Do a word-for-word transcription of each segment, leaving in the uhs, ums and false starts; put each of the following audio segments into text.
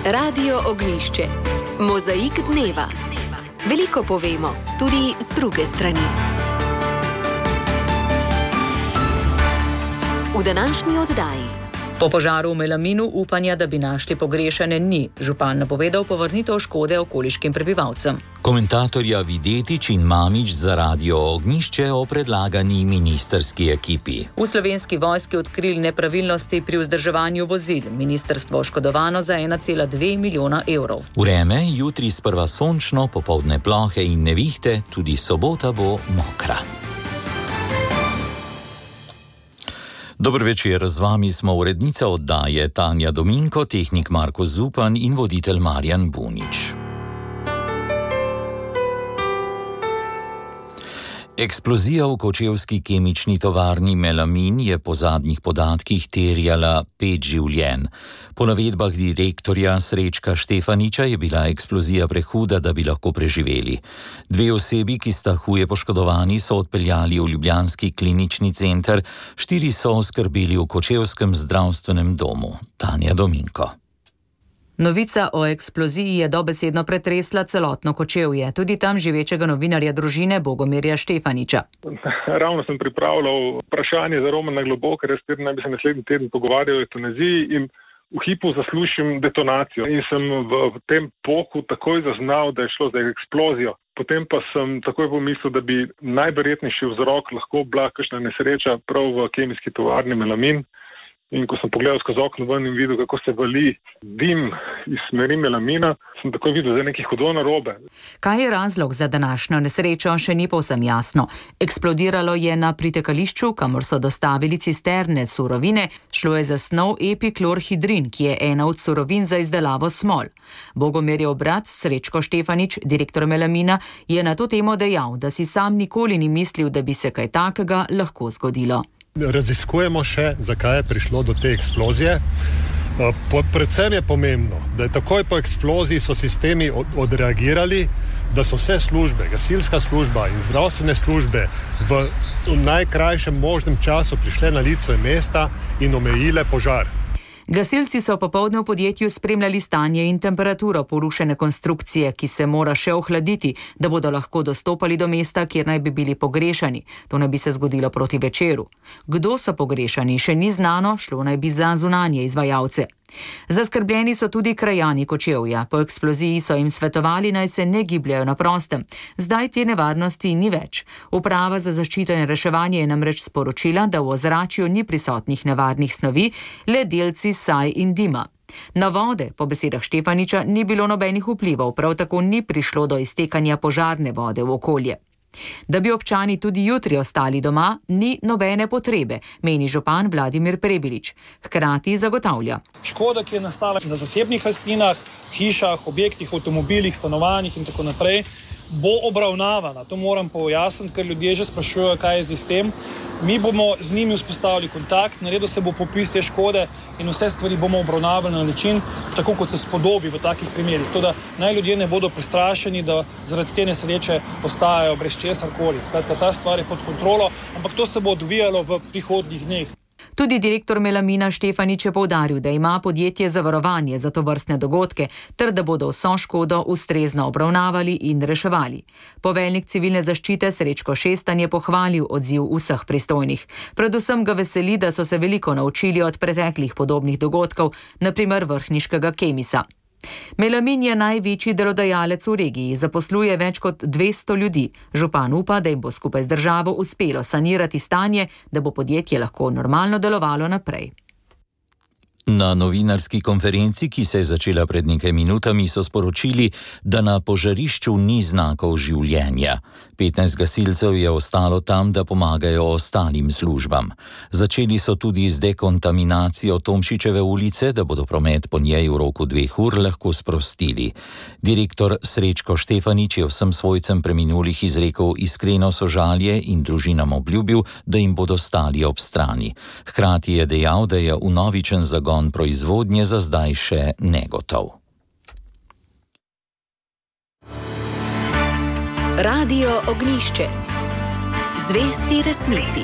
Radio Ognjišče. Mozaik dneva. Veliko povemo, tudi z druge strani. V današnji oddaji. Po požaru v Melaminu upanja, da bi našli pogrešane, ni. Župan napovedal povrnitev škode okoliškim prebivalcem. Komentatorja Videtič in Mamić za Radio Ognjišče o predlagani ministrski ekipi. V Slovenski vojski odkrili nepravilnosti pri vzdrževanju vozil. Ministrstvo oškodovano za ena cela dve milijona evrov. Vreme, jutri sprva sončno, popoldne plohe in nevihte, tudi sobota bo mokra. Dober večer, z vami smo urednica oddaje Tanja Dominko, tehnik Marko Zupan in voditelj Marjan Bunič. Eksplozija v kočevski kemični tovarni Melamin je po zadnjih podatkih terjala pet življenj. Po navedbah direktorja Srečka Štefaniča je bila eksplozija prehuda, da bi lahko preživeli. Dve osebi, ki sta huje poškodovani, so odpeljali v ljubljanski klinični center, štiri so oskrbeli v kočevskem zdravstvenem domu. Tanja Dominko. Novica o eksploziji je dobesedno pretresla celotno Kočevje, tudi tam živečega novinarja družine Bogomirja Štefaniča. Ravno sem pripravljal vprašanje za Romana Globokarja, s katerim naj bi se naslednji teden pogovarjal o evtanaziji in v hipu zaslušim detonacijo. In sem v, v tem poku takoj zaznal, da je šlo za eksplozijo. Potem pa sem takoj pomislil, da bi najverjetnejši vzrok lahko bila kakšna nesreča prav v kemijski tovarni Melamin. In ko sem pogledal skozi okno ven in videl, kako se vali dim iz smeri Melamina, sem takoj videl, da je nekaj hudo narobe. Kaj je razlog za današnjo nesrečo, še ni povsem jasno. Eksplodiralo je na pritekališču, kamor so dostavili cisterne surovine, šlo je za snov epiklorhidrin, ki je ena od surovin za izdelavo smol. Bogomirjev brat Srečko Štefanič, direktor Melamina, je na to temo dejal, da si sam nikoli ni mislil, da bi se kaj takega lahko zgodilo. Raziskujemo še, zakaj je prišlo do te eksplozije. Predvsem je pomembno, da je takoj po eksploziji so sistemi odreagirali, da so vse službe, gasilska služba in zdravstvene službe v najkrajšem možnem času prišle na lice mesta in omejile požar. Gasilci so popoldne v podjetju spremljali stanje in temperaturo porušene konstrukcije, ki se mora še ohladiti, da bodo lahko dostopali do mesta, kjer naj bi bili pogrešani. To naj bi se zgodilo proti večeru. Kdo so pogrešani, še ni znano, šlo naj bi za zunanje izvajalce. Zaskrbljeni so tudi krajani Kočevja. Po eksploziji so jim svetovali, naj se ne gibljajo na prostem. Zdaj te nevarnosti ni več. Uprava za zaščito in reševanje je namreč sporočila, da v ozračju ni prisotnih nevarnih snovi, le delci saj in dima. Na vode, po besedah Štefaniča, ni bilo nobenih vplivov, prav tako ni prišlo do iztekanja požarne vode v okolje. Da bi občani tudi jutri ostali doma, ni nobene potrebe, meni župan Vladimir Prebilič. Hkrati zagotavlja. Škoda, ki je nastala na zasebnih lastninah, hišah, objektih, avtomobilih, stanovanjih in tako naprej, bo obravnavana. To moram pojasniti, ker ljudje že sprašujejo, kaj je z tem. Mi bomo z njimi vzpostavili kontakt, naredil se bo popis te škode in vse stvari bomo obravnavali na način, tako kot se spodobi v takih primerih. To, da naj ljudje ne bodo prestrašeni, da zaradi te nesreče ostajajo brez česarkoli. Skratka, ta stvar je pod kontrolo, ampak to se bo odvijalo v prihodnjih dneh. Tudi direktor Melamina Štefanič je poudaril, da ima podjetje zavarovanje za tovrstne dogodke, ter da bodo vso škodo ustrezno obravnavali in reševali. Poveljnik civilne zaščite Srečko Šestan je pohvalil odziv vseh pristojnih. Predvsem ga veseli, da so se veliko naučili od preteklih podobnih dogodkov, na primer vrhniškega Kemisa. Melamin je največji delodajalec v regiji, zaposluje več kot dvesto ljudi. Župan upa, da jim bo skupaj z državo uspelo sanirati stanje, da bo podjetje lahko normalno delovalo naprej. Na novinarski konferenci, ki se je začela pred nekaj minutami, so sporočili, da na požarišču ni znakov življenja. petnajst gasilcev je ostalo tam, da pomagajo ostalim službam. Začeli so tudi z dekontaminacijo Tomšičeve ulice, da bodo promet po njej v roku dveh ur lahko sprostili. Direktor Srečko Štefanič je vsem svojcem preminulih izrekel iskreno sožalje in družinam obljubil, da jim bodo stali ob strani. Hkrati je dejal, da je vnovičen zagon proizvodnje za zdaj še negotov. Radio Ognjišče. Zvesti resnici.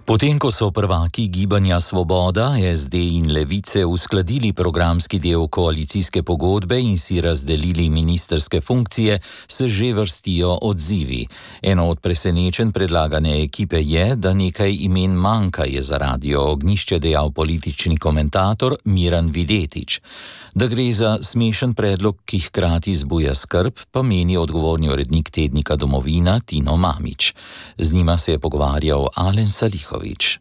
Potem, ko so prvaki Gibanja Svoboda, S D in Levice uskladili programski del koalicijske pogodbe in si razdelili ministerske funkcije, se že vrstijo odzivi. Eno od presenečenj predlagane ekipe je, da nekaj imen manjka, je za Radio Ognjišče dejal politični komentator Miran Videtič. Da gre za smešen predlog, ki hkrati zbuja skrb, pa meni odgovorni urednik tednika Domovina Tino Mamić. Z njima se je pogovarjal Alen Salihović.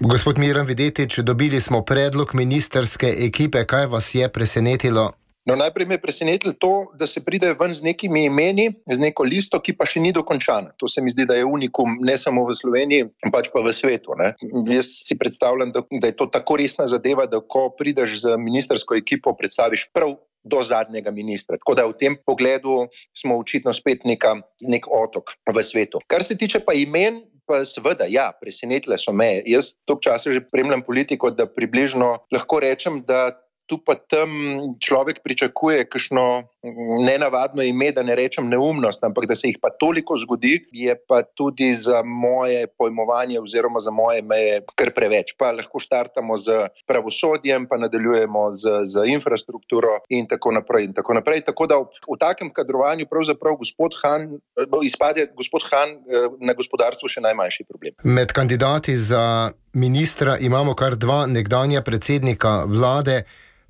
Gospod Miran Videtič, dobili smo predlog ministerske ekipe. Kaj vas je presenetilo? No, najprej me je presenetilo to, da se pride ven z nekimi imeni, z neko listo, ki pa še ni dokončana. To se mi zdi, da je unikum ne samo v Sloveniji, pač pa v svetu. Ne? Jaz si predstavljam, da, da je to tako resna zadeva, da ko prideš z ministersko ekipo, predstaviš prav do zadnjega ministra. Tako da v tem pogledu smo očitno spet neka, nek otok v svetu. Kar se tiče pa imen, pa seveda, ja, presenetile so me. Jaz toliko časa že spremljam politiko, da približno lahko rečem, da tu pa tam človek pričakuje kakšno nenavadno ime, da ne rečem neumnost, ampak da se jih pa toliko zgodi, je pa tudi za moje pojmovanje oziroma za moje meje kar preveč. Pa lahko štartamo z pravosodjem, pa nadaljujemo z, z infrastrukturo in tako naprej in tako naprej. Tako da v, v takem kadrovanju pravzaprav gospod Han, izpade gospod Han na gospodarstvu še najmanjši problem. Med kandidati za ministra imamo kar dva nekdanja predsednika vlade,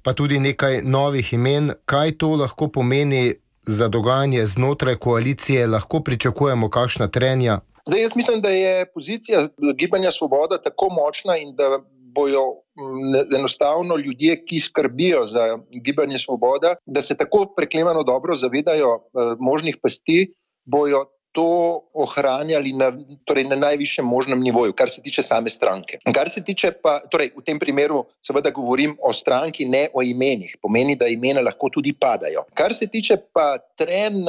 pa tudi nekaj novih imen. Kaj to lahko pomeni za dogajanje znotraj koalicije? Lahko pričakujemo kakšna trenja? Zdaj, jaz mislim, da je pozicija Gibanja Svoboda tako močna in da bojo enostavno ljudje, ki skrbijo za Gibanje Svoboda, da se tako preklemano dobro zavedajo eh, možnih pasti, bojo to ohranjali na, torej na najvišjem možnem nivoju, kar se tiče same stranke. Kar se tiče pa, torej v tem primeru seveda govorim o stranki, ne o imenih. Pomeni, da imena lahko tudi padajo. Kar se tiče pa tren,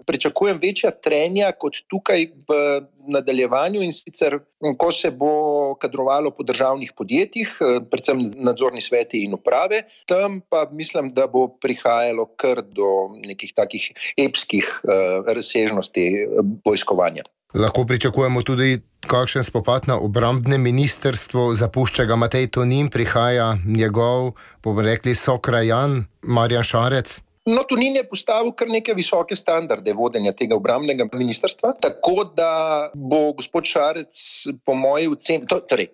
pričakujem večja trenja kot tukaj v nadaljevanju in sicer, ko se bo kadrovalo po državnih podjetjih, predvsem nadzorni sveti in uprave, tam pa mislim, da bo prihajalo kar do nekih takih epskih uh, razsežnosti vojskovanja. Lahko pričakujemo tudi kakšen spopad na obrambnem ministrstvu, zapušča ga Matej Tonin, prihaja njegov, bomo rekli, sokrajan Marjan Šarec. No, Tonin je postavil kar neke visoke standarde vodenja tega obrambnega ministrstva, tako da bo gospod Šarec po moji oceni, to, torej,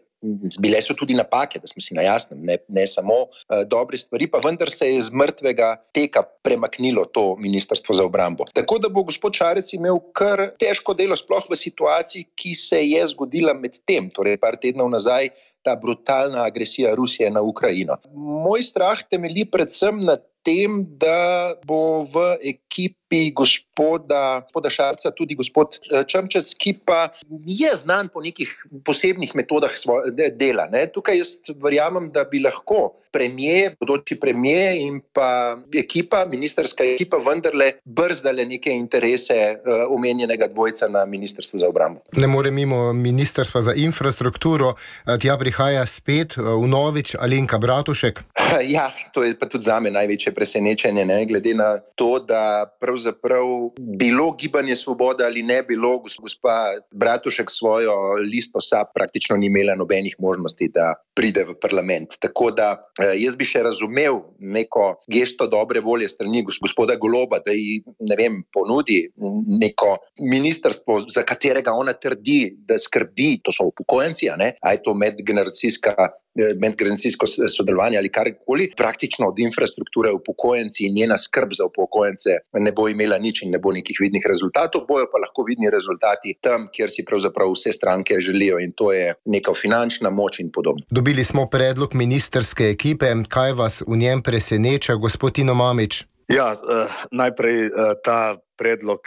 bile so tudi napake, da smo si na jasnem, ne, ne samo uh, dobre stvari, pa vendar se je z mrtvega teka premaknilo to ministrstvo za obrambo. Tako da bo gospod Šarec imel kar težko delo, sploh v situaciji, ki se je zgodila med tem, torej par tednov nazaj, ta brutalna agresija Rusije na Ukrajino. Moj strah temelji predvsem na tem, da bo v ekipi gospoda, gospoda Šarca tudi gospod Črnčec, ki pa je znan po nekih posebnih metodah svoje, dela. Ne? Tukaj jaz verjamem, da bi lahko premijer, bodoči premijer in pa ekipa, ministerska ekipa vendarle brzdale neke interese uh, omenjenega dvojca na ministrstvu za obrambo. Ne more mimo ministrstva za infrastrukturo, tja prihaja spet vnovič Alenka Bratušek. Ja, to je pa tudi zame največje presenečenje, ne? Glede na to, da pravzaprav bilo Gibanje Svoboda ali ne bilo, gospa Bratušek svojo listo S A P praktično ni imela nobenih možnosti, da pride v parlament. Tako da jaz bi še razumel neko gesto dobre volje strani gospoda Goloba, da ji, ne vem, ponudi neko ministrstvo, za katerega ona trdi, da skrbi, to so upokojenci, a ne, a je to medgeneracijska medgeneracijsko sodelovanje ali karkoli, praktično od infrastrukture upokojenci in njena skrb za upokojence ne bo imela nič in ne bo nekih vidnih rezultatov, bojo pa lahko vidni rezultati tam, kjer si pravzaprav vse stranke želijo, in to je neka finančna moč in podobno. Dobili smo predlog ministerske ekipe. Kaj vas v njem preseneča, gospod Tino Mamić? Ja, eh, najprej eh, ta predlog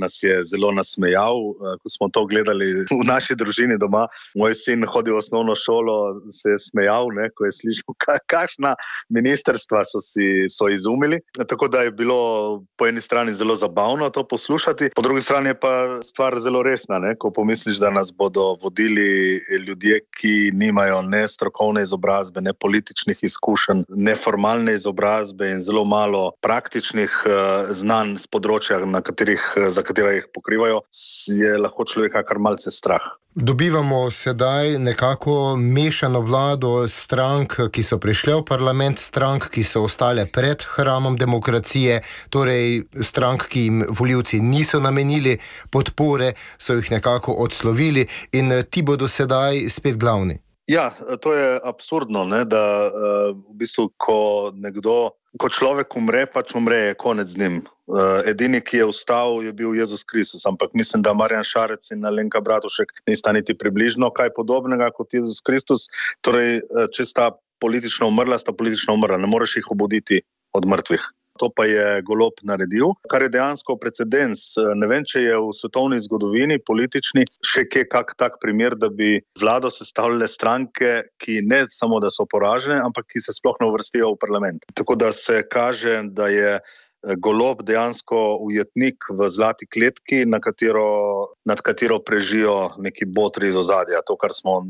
nas je zelo nasmejal, ko smo to gledali v naši družini doma. Moj sin hodi v osnovno šolo, se je smejal, ne, ko je slišal, kakšna ministerstva so si so izumili. Tako da je bilo po eni strani zelo zabavno to poslušati, po drugi strani je pa stvar zelo resna, ne, ko pomisliš, da nas bodo vodili ljudje, ki nimajo ne strokovne izobrazbe, ne političnih izkušenj, ne formalne izobrazbe in zelo malo praktičnih uh, znanj z področja, na katerih, za katera jih pokrivajo, je lahko človeka kar malce strah. Dobivamo sedaj nekako mešano vlado strank, ki so prišle v parlament, strank, ki so ostale pred hramom demokracije, torej strank, ki jim volivci niso namenili podpore, so jih nekako odslovili in ti bodo sedaj spet glavni. Ja, to je absurdno, ne, da uh, v bistvu, ko nekdo, ko človek umre, pač umre, je konec z njim. Uh, edini, ki je vstal, je bil Jezus Kristus, ampak mislim, da Marjan Šarec in Alenka Bratušek nista niti približno kaj podobnega kot Jezus Kristus. Torej, če sta politično umrla, sta politično umrla, ne moreš jih obuditi od mrtvih. To pa je Golob naredil, kar je dejansko precedens. Ne vem, če je v svetovni zgodovini politični še kje kak tak primer, da bi vlado sestavljale stranke, ki ne samo, da so poražene, ampak ki se sploh ne uvrstijo v parlament. Tako da se kaže, da je Golob dejansko ujetnik v zlati kletki, na katero, nad katero prežijo neki botri iz ozadja. To, kar smo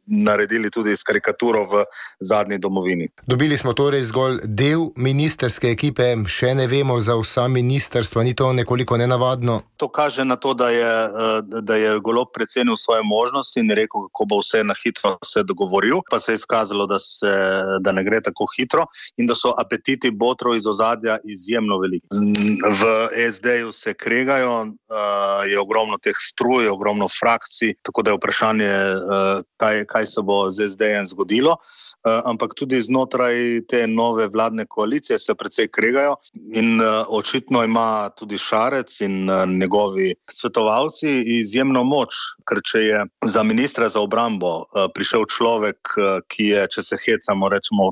naredili tudi s karikaturo v zadnji domovini. Dobili smo torej zgolj del ministerske ekipe, še ne vemo za vsa ministrstva, ni to nekoliko nenavadno? To kaže na to, da je, da je Golob precenil svoje možnosti in rekel, kako bo vse na hitro se dogovoril, pa se je izkazalo, da, se, da ne gre tako hitro in da so apetiti botrov iz ozadja izjemno veliki. V es deju se kregajo, je ogromno teh struj, ogromno frakcij, tako da je vprašanje, kaj, kaj se bo z es dejem zgodilo. Ampak tudi znotraj te nove vladne koalicije se precej kregajo in očitno ima tudi Šarec in njegovi svetovalci izjemno moč, ker če je za ministra za obrambo prišel človek, ki je, če se hecamo, rečemo,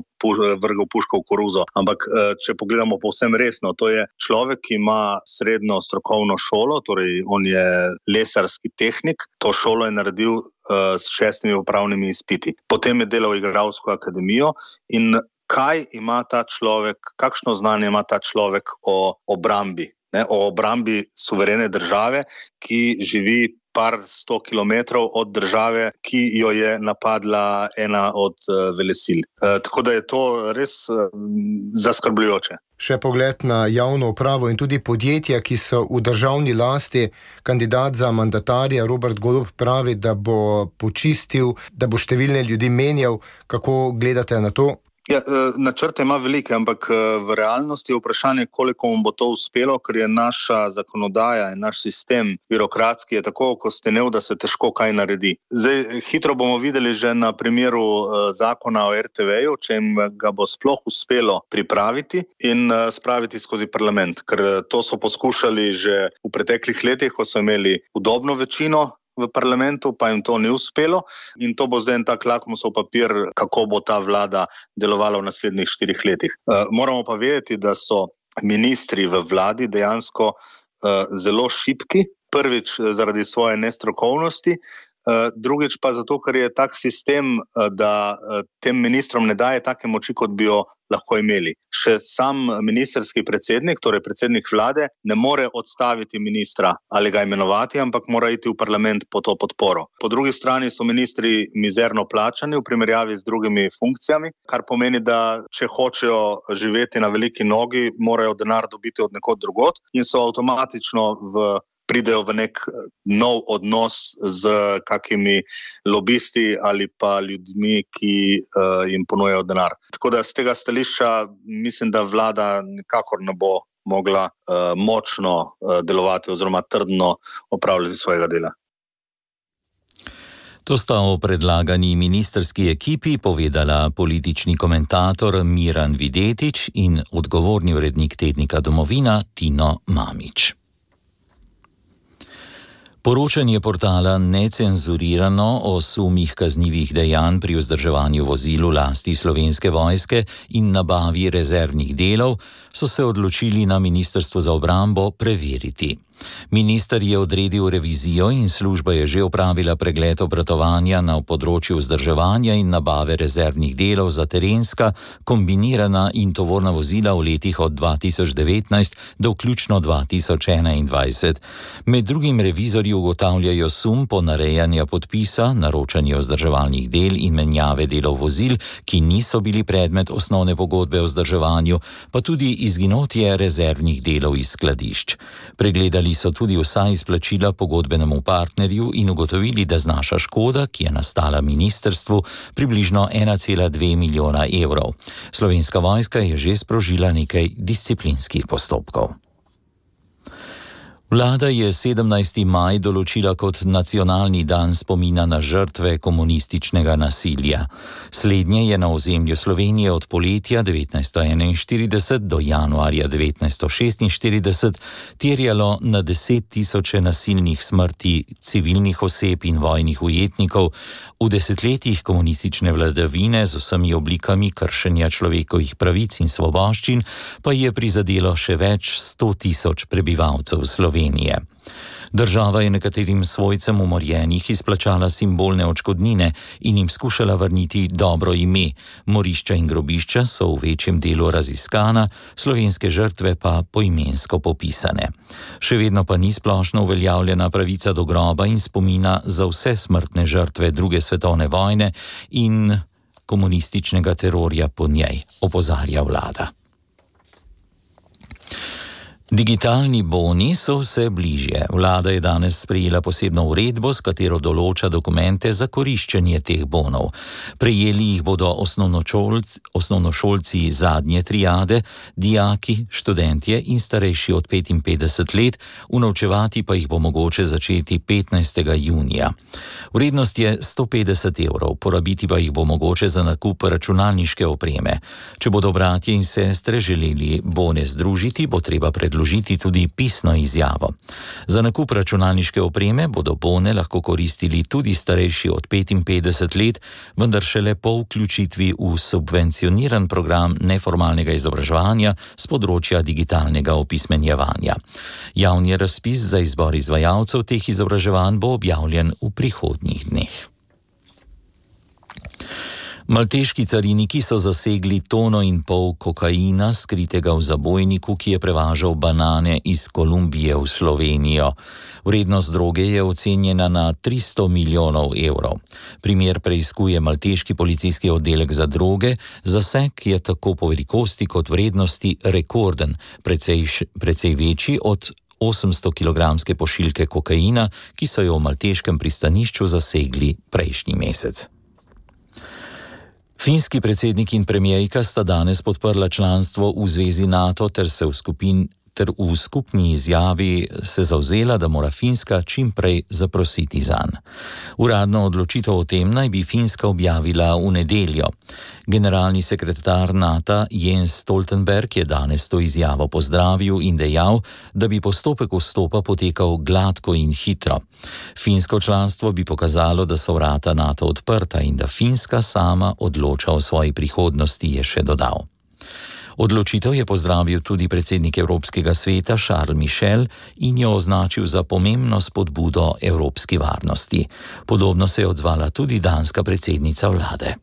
vrgel puško v koruzo, ampak če pogledamo povsem resno, to je človek, ki ima srednjo strokovno šolo, torej on je lesarski tehnik, to šolo je naredil s šestimi upravnimi izpiti. Potem je delal igralsko akademijo in kaj ima ta človek, kakšno znanje ima ta človek o obrambi, ne, o obrambi suverene države, ki živi par sto kilometrov od države, ki jo je napadla ena od uh, velesil. Uh, tako da je to res uh, zaskrbljujoče. Še pogled na javno upravo in tudi podjetja, ki so v državni lasti. Kandidat za mandatarja Robert Golob pravi, da bo počistil, da bo številne ljudi menjal. Kako gledate na to? Ja, načrte ima velike, ampak v realnosti je vprašanje, koliko mu bo to uspelo, ker je naša zakonodaja in naš sistem birokratski je tako okostenev, da se težko kaj naredi. Zdaj, hitro bomo videli že na primeru zakona o er te veju, če jim ga bo sploh uspelo pripraviti in spraviti skozi parlament, ker to so poskušali že v preteklih letih, ko so imeli udobno večino v parlamentu, pa jim to ni uspelo in to bo zdaj en tak lakmusov papir, kako bo ta vlada delovala v naslednjih štirih letih. Uh, moramo pa vedeti, da so ministri v vladi dejansko uh, zelo šibki, prvič zaradi svoje nestrokovnosti, uh, drugič pa zato, ker je tak sistem, uh, da uh, tem ministrom ne daje take moči, kot bi jo lahko imeli. Še sam ministerski predsednik, torej predsednik vlade, ne more odstaviti ministra ali ga imenovati, ampak mora iti v parlament po to podporo. Po drugi strani so ministri mizerno plačani v primerjavi z drugimi funkcijami, kar pomeni, da če hočejo živeti na veliki nogi, morajo denar dobiti od nekod drugod in so avtomatično v pridejo v nek nov odnos z kakimi lobisti ali pa ljudmi, ki uh, jim ponujajo denar. Tako da z tega stališča mislim, da vlada nikakor ne bo mogla uh, močno uh, delovati oziroma trdno opravljati svojega dela. To sta o predlagani ministerski ekipi povedala politični komentator Miran Videtič in odgovorni urednik tednika Domovina Tino Mamić. Poročanje portala Necenzurirano o sumih kaznivih dejanj pri vzdrževanju vozil v lasti Slovenske vojske in nabavi rezervnih delov so se odločili na Ministrstvu za obrambo preveriti. Minister je odredil revizijo in služba je že opravila pregled obratovanja na področju vzdrževanja in nabave rezervnih delov za terenska, kombinirana in tovorna vozila v letih od dva tisoč devetnajst do vključno dva tisoč enaindvajset. Med drugim revizorji ugotavljajo sum ponarejanja podpisa, naročanja vzdrževalnih del in menjave delov vozil, ki niso bili predmet osnovne pogodbe o vzdrževanju, pa tudi izginotje rezervnih delov iz skladišč. Pregledali so tudi vsa izplačila pogodbenemu partnerju in ugotovili, da znaša škoda, ki je nastala ministrstvu, približno ena cela dve milijona evrov. Slovenska vojska je že sprožila nekaj disciplinskih postopkov. Vlada je sedemnajsti maj določila kot nacionalni dan spomina na žrtve komunističnega nasilja. Slednje je na ozemlju Slovenije od poletja devetnajststo enainštirideset do januarja devetnajststo šestinštirideset terjalo na deset tisoče nasilnih smrti civilnih oseb in vojnih ujetnikov. V desetletjih komunistične vladavine z vsemi oblikami kršenja človekovih pravic in svoboščin pa je prizadelo še več sto tisoč prebivalcev Slovenije. Država je nekaterim svojcem umorjenih izplačala simbolne odškodnine in jim skušala vrniti dobro ime. Morišča in grobišča so v večjem delu raziskana, slovenske žrtve pa poimensko popisane. Še vedno pa ni splošno uveljavljena pravica do groba in spomina za vse smrtne žrtve druge svetovne vojne in komunističnega terorja po njej, opozarja vlada. Digitalni boni so vse bližje. Vlada je danes sprejela posebno uredbo, s katero določa dokumente za koriščenje teh bonov. Prejeli jih bodo osnovnošolci, osnovnošolci zadnje triade, dijaki, študentje in starejši od petinpetdeset let, unovčevati pa jih bo mogoče začeti petnajstega junija. Vrednost je sto petdeset evrov, porabiti pa jih bo mogoče za nakup računalniške opreme. Če bodo bratje in sestre želeli bone združiti, bo treba predložiti Vložiti tudi pisno izjavo. Za nakup računalniške opreme bodo bone lahko koristili tudi starejši od petinpetdeset let, vendar šele po vključitvi v subvencioniran program neformalnega izobraževanja z področja digitalnega opismenjevanja. Javni razpis za izbor izvajalcev teh izobraževanj bo objavljen v prihodnjih dneh. Malteški cariniki so zasegli tono in pol kokaina, skritega v zabojniku, ki je prevažal banane iz Kolumbije v Slovenijo. Vrednost droge je ocenjena na tristo milijonov evrov. Primer preiskuje malteški policijski oddelek za droge, zaseg je tako po velikosti kot vrednosti rekorden, precej, precej večji od osemsto kilogramske pošiljke kokaina, ki so jo v malteškem pristanišču zasegli prejšnji mesec. Finski predsednik in premijerka sta danes podprla članstvo v zvezi NATO ter se v skupin ter v skupni izjavi se zavzela, da mora Finska čim prej zaprositi zanj. Uradno odločitev o tem naj bi Finska objavila v nedeljo. Generalni sekretar NATO Jens Stoltenberg je danes to izjavo pozdravil in dejal, da bi postopek vstopa potekal gladko in hitro. Finsko članstvo bi pokazalo, da so vrata NATO odprta in da Finska sama odloča o svoji prihodnosti, je še dodal. Odločitev je pozdravil tudi predsednik Evropskega sveta Charles Michel in jo označil za pomembno spodbudo evropski varnosti. Podobno se je odzvala tudi danska predsednica vlade.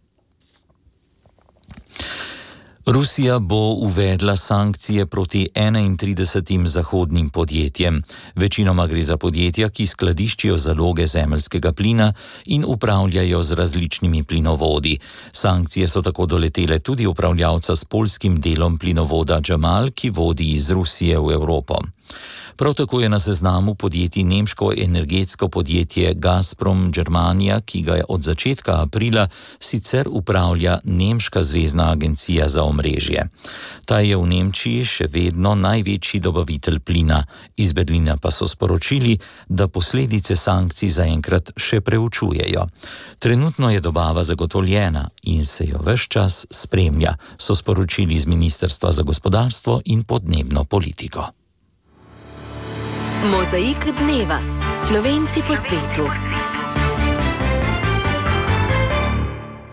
Rusija bo uvedla sankcije proti enaintridesetim zahodnim podjetjem. Večinoma gre za podjetja, ki skladiščijo zaloge zemeljskega plina in upravljajo z različnimi plinovodi. Sankcije so tako doletele tudi upravljavca s poljskim delom plinovoda Jamal, ki vodi iz Rusije v Evropo. Prav tako je na seznamu podjetij nemško energetsko podjetje Gazprom Germania, ki ga od začetka aprila sicer upravlja nemška zvezna agencija za omrežje. Ta je v Nemčiji še vedno največji dobavitelj plina. Iz Berlina pa so sporočili, da posledice sankcij zaenkrat še preučujejo. Trenutno je dobava zagotovljena in se jo ves čas spremlja, so sporočili iz Ministrstva za gospodarstvo in podnebno politiko. Mozaik dneva. Slovenci po svetu.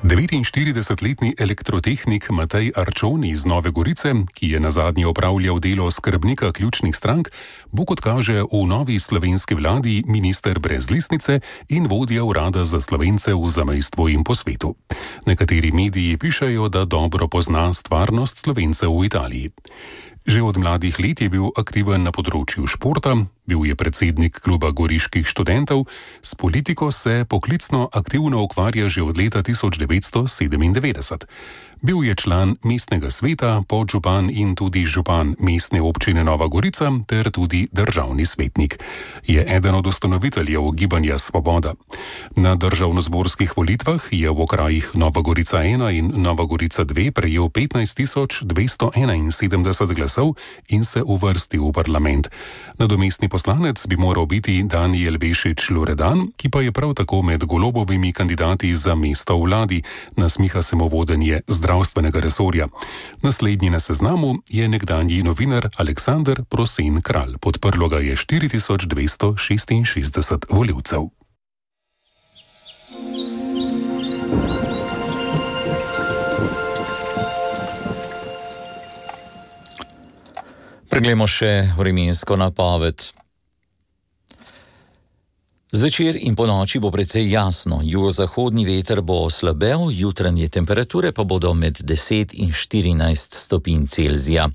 devetinštiridesetletni elektrotehnik Matej Arčon iz Nove Gorice, ki je nazadnje opravljal delo skrbnika ključnih strank, bo, kot kaže, v novi slovenski vladi minister brez listnice in vodja urada za Slovence v zamejstvu in po svetu. Nekateri mediji pišejo, da dobro pozna stvarnost Slovencev v Italiji. Že od mladih let je bil aktiven na področju športa, bil je predsednik kluba goriških študentov, s politiko se poklicno aktivno ukvarja že od leta tisoč devetsto sedemindevetdeset. Bil je član mestnega sveta, podžupan in tudi župan mestne občine Nova Gorica ter tudi državni svetnik. Je eden od ustanoviteljev gibanja Svoboda. Na državnozborskih volitvah je v okrajih Nova Gorica ena in Nova Gorica dve prejel petnajst tisoč dvesto enainsedemdeset glasov in se uvrstil v parlament. Nadomestni poslanec bi moral biti Danijel Bešič Loredan, ki pa je prav tako med Golobovimi kandidati za mesto v vladi, nasmiha se mu vodenje zdravstvenega resorja. Naslednji na seznamu je nekdanji novinar Aleksander Prosen Kralj. Podprlo ga je štiri tisoč dvesto šestinšestdeset volivcev. Preglejmo še vremensko napoved. Zvečer in ponoči bo precej jasno, jugozahodni veter bo oslabel, jutranje temperature pa bodo med deset in štirinajst stopinj Celzija.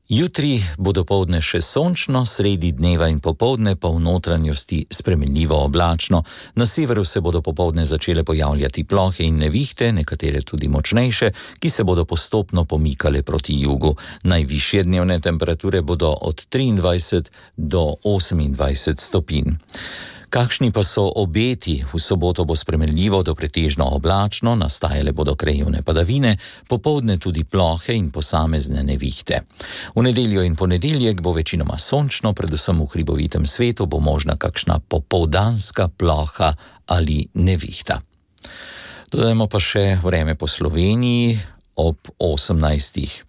Jutri bo dopoldne še sončno, sredi dneva in popoldne pa v notranjosti spremenljivo oblačno. Na severu se bodo popoldne začele pojavljati plohe in nevihte, nekatere tudi močnejše, ki se bodo postopno pomikale proti jugu. Najvišje dnevne temperature bodo od triindvajset do osemindvajset stopinj. Kakšni pa so obeti? V soboto bo spremenljivo do pretežno oblačno, nastajale bodo krajevne padavine, popoldne tudi plohe in posamezne nevihte. V nedeljo in ponedeljek bo večinoma sončno, predvsem v hribovitem svetu bo možna kakšna popoldanska ploha ali nevihta. Dodajmo pa še vreme po Sloveniji ob osemnajstih.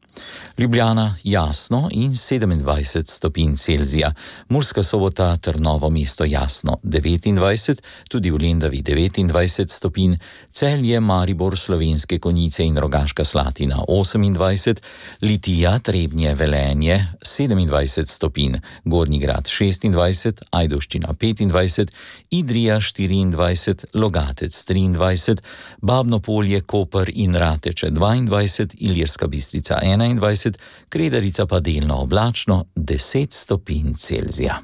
Ljubljana jasno in sedemindvajset stopinj Celzija, Murska Sobota ter Novo mesto jasno devetindvajset, tudi v Lendavi devetindvajset stopinj, Celje, Maribor, Slovenske Konjice in Rogaška Slatina osemindvajset, Litija, Trebnje, Velenje sedemindvajset stopinj, Gornji Grad šestindvajset, Ajdovščina petindvajset, Idrija štiriindvajset, Logatec triindvajset, Babno Polje, Koper in Rateče dvaindvajset, Ilirska Bistrica enaindvajset, Kredarica pa delno oblačno deset stopinj Celzija.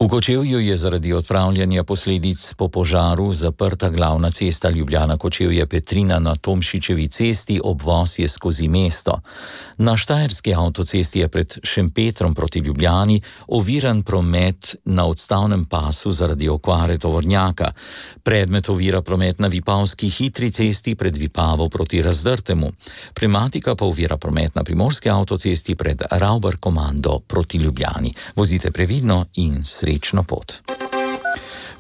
V Kočevju je zaradi odpravljanja posledic po požaru zaprta glavna cesta Ljubljana-Kočevje-Petrina na Tomšičevi cesti, obvoz je skozi mesto. Na štajerski avtocesti je pred Šempetrom proti Ljubljani oviran promet na odstavnem pasu zaradi okvare tovornjaka. Predmet ovira promet na Vipavski hitri cesti pred Vipavo proti Razdrtemu. Pneumatika pa ovira promet na Primorski avtocesti pred Rauber Komando proti Ljubljani. Vozite previdno in srečno pot.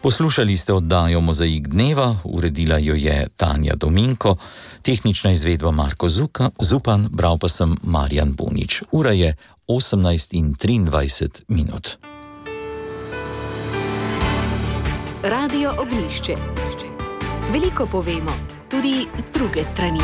Poslušali ste oddajo Mozaik dneva, uredila jo je Tanja Dominko, tehnična izvedba Marko Zuka, Zupan, bral pa sem Marjan Bunič. Ura je osemnajst in triindvajset minut. Radio Ognjišče. Veliko povemo, tudi z druge strani.